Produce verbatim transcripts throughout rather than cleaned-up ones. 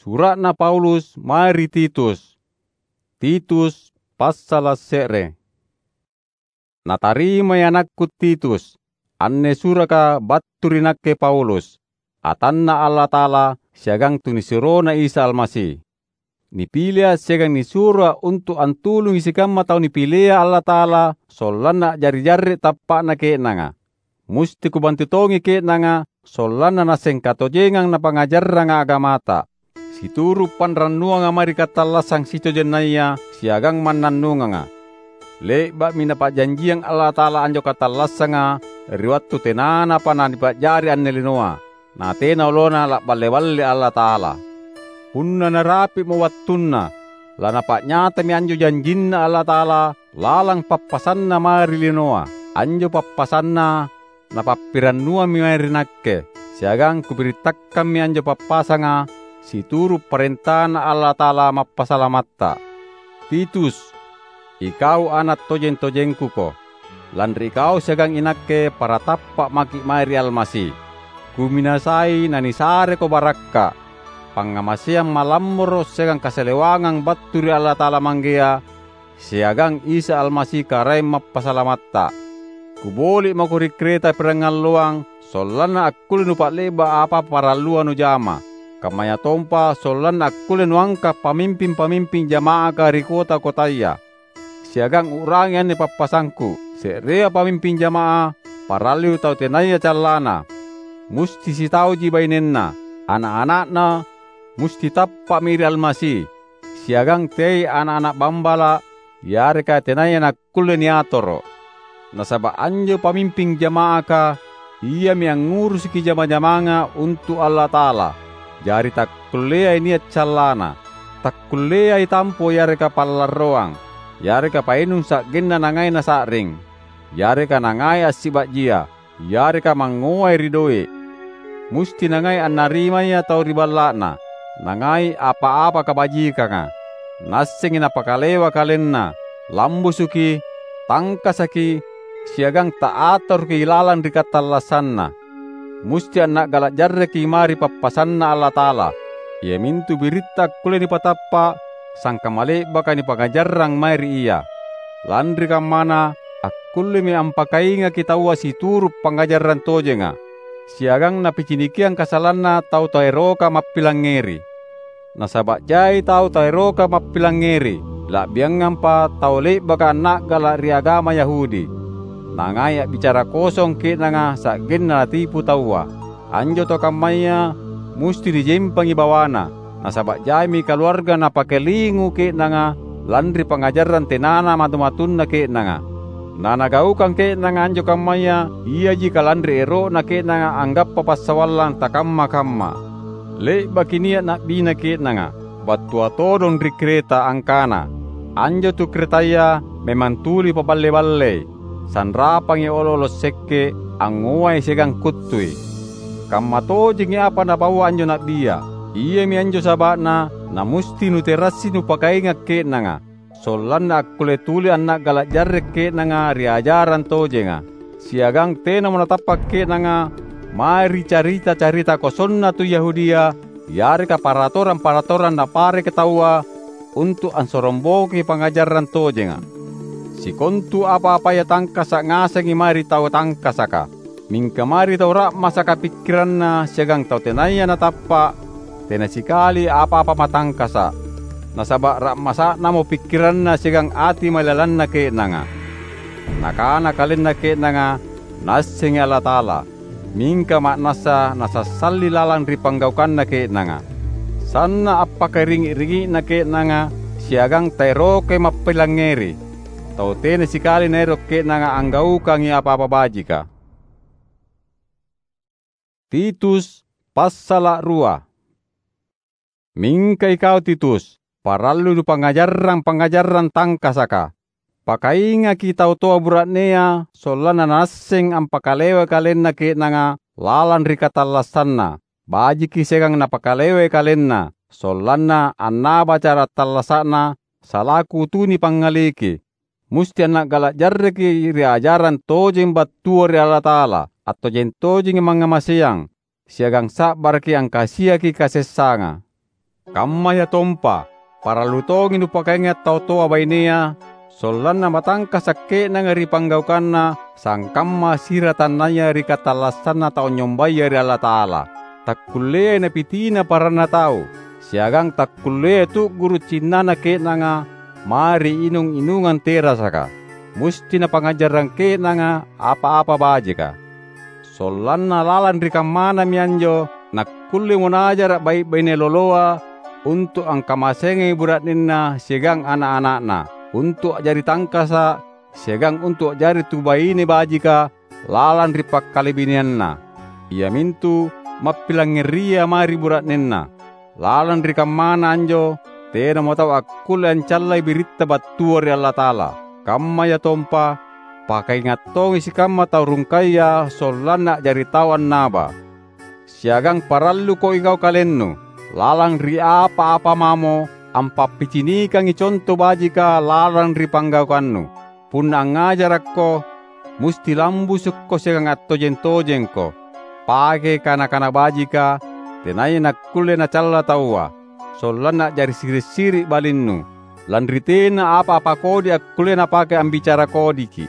Sura'na Paulus mae ri Titus. Titus passala’ se're. Natarimai anakku Titus. Anne suraka battu ri nakke Paulus, atanNa Allata'ala siagang tunisuroNa Isa Almasi. NipileA’ siagang nisuroA’ untu’ antulungi sikamma tau nipilea Allata'ala sollanna a'jari jarre’ tappa'na ke'nanga. Musti kubantu tongi ke'nanga sollanna nasseng katojengang napangngajarranga agamata. Situru’ panrannuanga mae ri katallassang sitojennaya siagang mannannunganga. Le'ba'mi Napa'janjiang Allata'ala anjo katallassanga ri wattu tenanapa nanipa'jari anne linoa, natena olona la'balle-balle Allata'ala. Punna narapi'mo wattunna, laNapa'nyatami anjo janjinNa Allata'ala lalang pappasanNa mae ri linoa. Anjo pappasanNa Napappirannuammi mae ri nakke, siagang kubirittakkammi anjo pappasanga situru’ parentaNa Allata'ala Mappasalamatta. Titus, ikau ana’ tojeng-tojengkuko. Lanri ikau siagang inakke para tappa’ maki’ mae ri Almasi. Kuminasai nanisareko barakka’, pangngamaseang malammoro’ siagang kasalewangang battu ri Allata'ala Manggea siagang Isa Almasi Karaeng Mappasalamatta. Kuboli’ mako ri Kreta pirangalloang sollanna akkulle nupa'le'ba’ apa-apa parallua nujama, kammayatompa sollanna akkulle nuangka’ pamimping-pamimping jama'aka ri kota-kotaya. Siagang u'rangi anne pappasangku: Se'rea pamimping jama'ah parallui tau tenaya callana. Musti sitauji bainenna, ana’-ana'na musti tappa'mi ri Almasi, siagang teai ana’-ana’ bambala’ yareka tenaya nakkulle niatoro’. Nasaba’ anjo pamimping jama'aka iami angngurusiki jama-jamanga untu’ Allata'ala, jari takkulleai nia’ callana. Takkulleai tampo yareka pallarroang, yareka painung sa'genna nangai nasa'ring, yareka nangai assiba'jia, yareka mangngoai ri doe’. Musti nangai annarimaya tau ri balla'na, nangai apa-apa kabajikanga. Naassengi napakalewa kalenna, lambusuki, tangkasaki, siagang taatoroki lalang ri katallassanna. Musti anna'gala’ jarreki mae ri pappasanNa Allata'ala, iamintu biritta akkulle nipatappa’ sangkamma le'baka nipangngajarrang mae ri ia. Lanri kammana, akkullemi ampakaingaki taua situru’ pangngajarang tojenga, siagang napicinikiang kasalanna tau taeroka mappilangngeri. Nasaba’ jai tau taeroka mappilangngeri, la'biangampa tau le'baka anna'gala’ ri agama Yahudi. Nangai a'bicara kosong ke'nanga sa'genna natipu taua. Anjo tau kammaya musti nijempangi bawana, nasaba’ jaimi kaluarga napakalingu ke'nanga lanri pangngajarang tenana matu-matunna ke'nanga. Nanagaukang ke'nanga anjo kammaya iaji kalanri ero'na ke'nanga anggappa passawallang takamma-kamma. Le'baki nia’ na'bina ke'nanga, battua todong ri Kreta angkana, "Anjo tu Kretaya memang tuli paballe-ballei, sanrapangi olo’-olo’ sekke, angngoai siagang kuttui." Kamma tojengi apa napaua anjo na'bia. Iami anjo saba'na namusti nuterassi nupakainga’ ke'nanga, sollanna akkulle tuli anna'gala’ jarre’ ke'nanga ri ajarang tojenga, siagang tenamo natappa’ ke'nanga mae ri carita-carita kosonna tu Yahudia yareka paratorang-paratorang napareke taua untu’ ansoromboki pangngajarang tojenga. Sikontu apa-apaya tangkasa’ ngasengi mae ri tau tangkasaka. Mingka mae ri tau ra'masaka pikkiranna siagang tau tenaya natappa’, tena sikali apa-apa matangkasa’. Nasaba’ ra'masa'namo pikkiranna siagang ati mailalanna ke'nanga. Nakana kalenna ke'nanga, "Naassengi Allata'ala," mingka ma'nassa nasassalli lalang ri panggaukanna ke'nanga. Sanna’ appakairingi’-ringi'na ke'nanga siagang taerokai mappilangngeri, tau tena sikali naero’ ke'nanga anggaukangi apa-apa bajika. Titus passala’ rua. Mingka ikau Titus, parallui nupangngajarrang pangngajarrang tangkasaka. Pakaingaki tau toa bura'nea sollanna naasseng ampakalewai kalenna ke'nanga lalang ri katallassanna. Bajiki siagang napakalewai kalenna, sollanna annaba cara attallasa'na salaku tu nipangngaliki. Musti anna'gala’ jarreki ri ajarang tojeng battua ri Allata'ala, attojeng-tojengi mangngamaseang, siagang sa'baraki angkasiaki kasessanga. Kammayatompa, parallu tongi nupakainga' tau toa bainea, sollanna matangkasa' ke'nanga ri panggaukanna sangkamma siratannaya ri katallassanna tau anynyombaya ri Allata'ala. Takkulleai napitina paranna tau, siagang takkulleai tu'guru' cinnana ke'nanga mae ri inung-inungang terasaka. Musti napangngajarrang ke'nanga apa-apa bajika. Sollanna lalang ri kammanami anjo nakkullemo najara' bai'-baine loloa untu' angkamaseangi bura'nenna siagang ana'-ana'na, untu' a'jari tangkasa' siagang untu' a'jari tu baine bajika lalang ri pakkalebinianna, iamintu mappilangngeria mae ri bura'nenna. Lalang ri kammana anjo, tenamo tau akkulle ancallai biritta battua ri Allata'ala. Kammayatompa, pakainga' tongi sikamma tau rungkaya sollanna a'jari tau annaba. Siagang paralluko ikau kalennu, lalang ri apa-apa mamo, ampappicinikangi conto bajika lalang ri panggaukannu. Punna angngajarakko, musti lambusukko siagang attojeng-tojengko. Pake kana-kana bajika, tenaya nakkulle nacalla taua, sollanna a'jari siri'-siri' balinnu, lanri tena apa-apa kodi akkulle napake ambicara kodiki.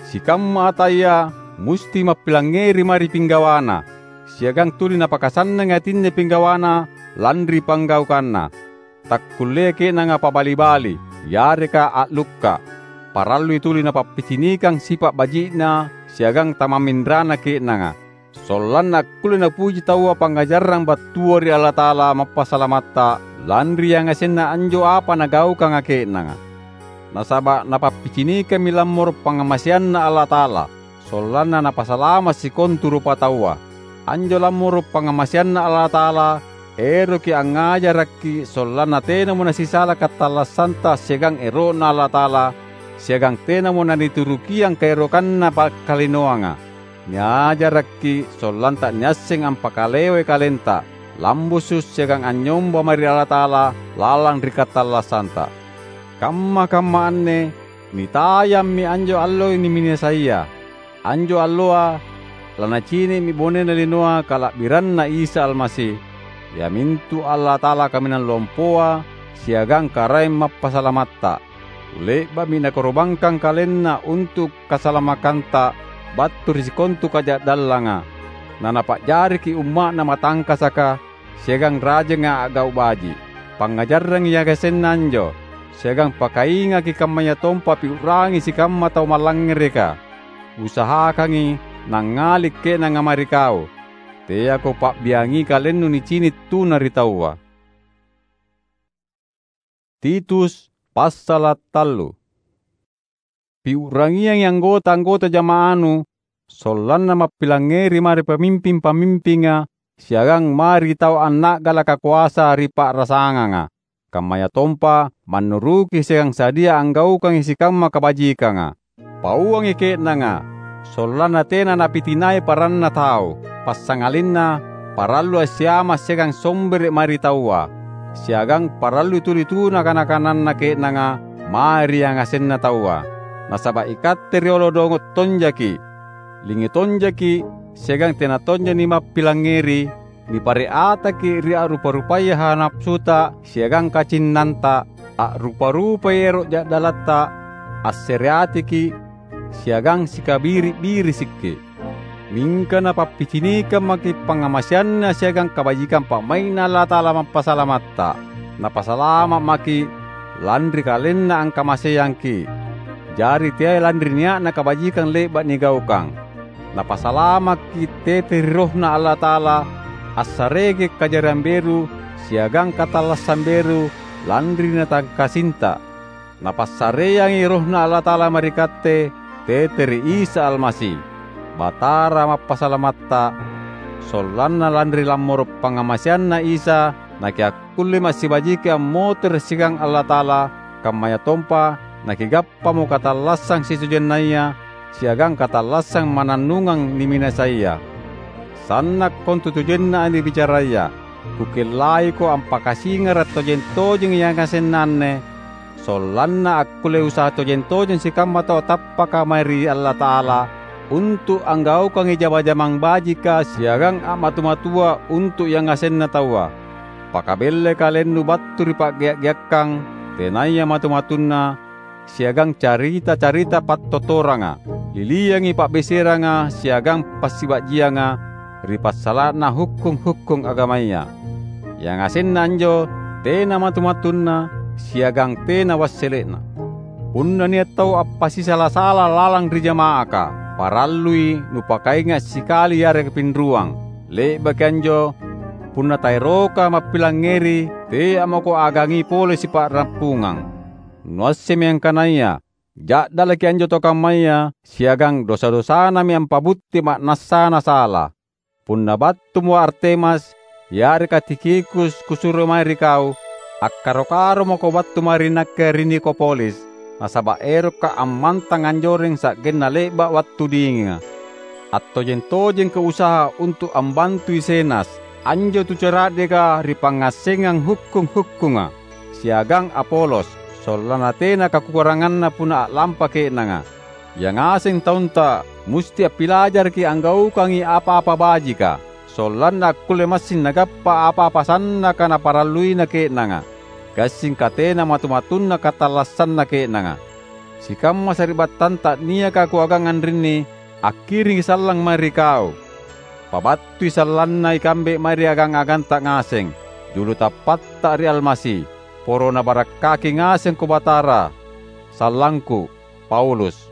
Sikamma ataya musti mappilangngeri mae ri pinggawana, siagang tuli napakasannangi atinne pinggawana lanri panggaukanna. Takkulleai ke'nanga pabali-bali, yareka a'lukka'. Parallui tuli napappicinikang sipa' baji'na siagang tamamminrana ke'nanga, sollanna akkulle napuji taua pangngajarang battua ri Allata'ala Mappasalamatta lanri yangasenna anjo apa nagaukanga ke'nanga. Nasaba' napappicinikammi lammoro' pangngamaseanNa Allata'ala, sollanna Napasalama' sikontu rupataua. Anjo lammoro' pangngamaseanNa Allata'ala eroki angngajarakki' sollanna tenamo nasisala katallassanta siagang ero'Na Allata'ala, siagang tenamo naniturukiang kaerokanna pakkalinoanga. Niajarakki' sollanta niasseng ampakalewai kalenta, lambusu' siagang anynyomba mae ri Allata'ala lalang ri katallassanta. Kamma-kamma anne nitayammi anjo alloi niminasaia. Anjo alloa lanacini'mi bonena linoa kala'biranNa Isa Almasi, iamintu Allata'ala Kaminang Lompoa siagang Karaeng Mappasalamatta. Le'ba'mi Nakoro'bangkang KalenNa untu' kasalamakanta battu ri sikontu kaja'dallanga, na Napa'jariki' umma'Na matangkasaka siagang rajanga a'gau' baji'. Pangngajarrangi yangasenna anjo, siagang pakaingaki' kammayatompa piu'rangi sikamma tau mallangngereka. Usahakangi nangngali' ke'nanga mae ri kau. Teako pa'biangi kalennu nicini' tuna ri taua. Titus passala' tallu. Piu'rangiangi anggota-anggota jama'anu, sollanna mappilangngeri mae ri pamimping-pamimpinga siagang mae ri tau anna'galaka koasa ri pa'rasanganga, kammayatompa mannuruki siagang sadia anggaukangi sikamma kabajikanga. Pauangi ke'nanga, sollanna tena napitinai paranna tau, passangalinna parallui assiama' siagang sombere' mae ri taua, siagang parallui tuli tuna kana-kananna ke'nanga mae ri yangasenna taua. Nasaba' ikatte riolo dongo' tonjaki', lingi tonjaki', siagang tena tonja nimappilangngeri, nipare' ataki' ri a'rupa-rupaya hawa napasuta siagang kacinnanta, a'rupa-rupai ero' ja'dalatta, assereatiki', siagang sikabiri'-birisikki'. Mingka napappicinikang maki' pangngamaseanNa siagang kabajikang pa'mai'Na Allata'ala Mappasalamatta. Napasalama' maki' lanri KalenNa angkamaseangki'. Jari teai lanri nia'na kabajikang le'ba' nigaukang. Napasalamakki' tete ri RohNa Allata'ala, assareki' kajariang beru siagang katallassang beru lanri natangkasinta. Napassareangi RohNa Allata'ala mae ri katte tete ri Isa Almasi, Batara Mappasalamatta, sollanna lanri lammoro' pangngamaseanNa Isa nakiakkullemo assibajiki ammotere' siagang Allata'ala, kammayatompa nakigappamo katallassang sitojennaya siagang katallassang mannannungang niminasaia. Sanna' kontutojenna anne bicaraya. Kukellaiko ampakasingara' tojeng-tojeng yangasenna anne, sollanna akkulle usaha tojeng-tojeng sikamma tau tappaka mae ri Allata'ala untu' anggaukangi jama-jamang bajika siagang a'matu-matua untu' yangasenna taua. Pakabellai kalennu battu ri pa'gea'-geakkang tenaya matu-matunna siagang carita-carita pattotoranga. Liliangi pa'beseranga siagang passiba'jianga ri passala'na hukkung-hukkung agamaya. Yangasenna anjo tena matu-matunna siagang tena wassele'na. Punna nia' tau appasisala-sala lalang ri jama'aka, parallui nupakainga' sikali yareka pinruang. Le'baki anjo, punna taeroka mappilangngeri, teamako agangi pole sipa'rappungang. Nuassemmi angkanaya ja'dalaki anjo tau kammaya siagang dosa-dosanami ampabutti ma'nassana sala. Punna battumo Artemas yareka Tikhikus kusuro mae ri kau, akkaro-karomako battu mae ri nakke ri Nikopolis, nasaba' erokka' ammantang anjoreng sa'genna le'ba' wattu dinginga. Attojeng-tojengko usaha untu' ambantui Zenas, anjo tu cara'deka ri pangngassengang hukkung-hukkunga, siagang Apolos, sollanna tena kakukuranganna punna a'lampa ke'nanga. Yangaseng taunta musti appilajaraki anggaukangi apa-apa bajika, sollanna akkulle massing nagappa apa-apa sannaka naparalluina ke'nanga, gassing katena matu-matunna katallassanna ke'nanga. Sikamma sari'battanta niaka kuagang anrinni, akkiringi sallang mae ri kau. Pabattui sallanna ikambe mae ri agang-aganta ngaseng. Julu tappatta ri Almasi. Poro Nabarakkaki ngasengko Batara. Sallangku, Paulus.